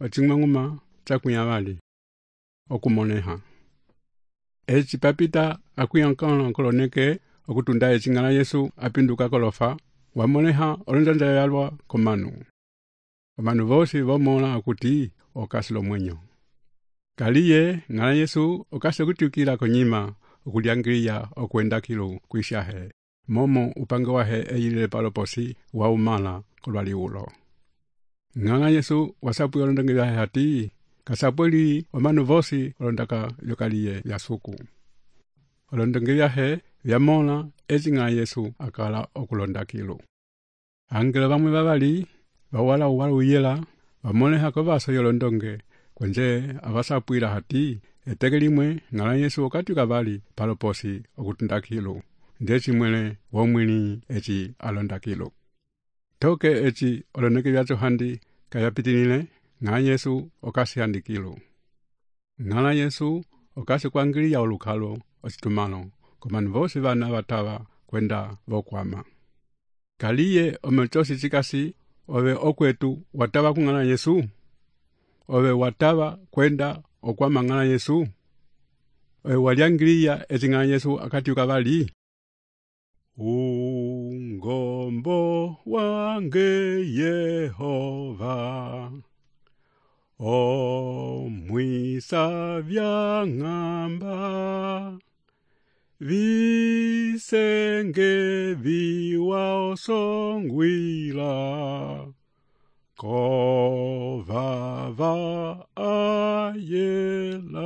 ocing'uma cakunyavali okumoneha. Eci papita akuyankana koloneke okutunda ecing'ala Yesu apinduka kolofa wamoneha olonjanja yalwa komanu. Omanu vosi vomola akuti okasilo mwenyo. Kaliye ng'ala Yesu okase kutyukila konyima okuliangiliya okwenda kilu kwishahe. Momo upange wahe eyilile paloposi wa umala kolwali ulo. Ng'ala Yesu wasapu yolondonge yahe hati kasapweli omanu vosi olondaka yokaliye yasuku. Olondonge yahe yamola ng'ala Yesu akala okulonda kilu. Angelo bamwe babali bawala uyela bamoleha kovaso yolondonge kwenje abasapwila hati eteke limwe ng'ala Yesu okatyuka bali paloposi okutunda kilu. Ndeci mwele womwini eci alonda kilu. Toke eci oloneke vyacho handi kayapitinile ng'ala Yesu okasi handi kilu. Ng'ala Yesu okasi kuangiliya olukalo ocitumalo komanu vosi vana batava kwenda vokwama. Kaliye omechosi chikasi ove okwetu watava kung'ala Yesu? Ove watava kwenda okwama ng'ala Yesu? Ove waliangiliya eti ng'ala Yesu akatyuka bali? Ungombo wange Yehova omwisa vyang'amba visenge viwa osongwila kovava ayela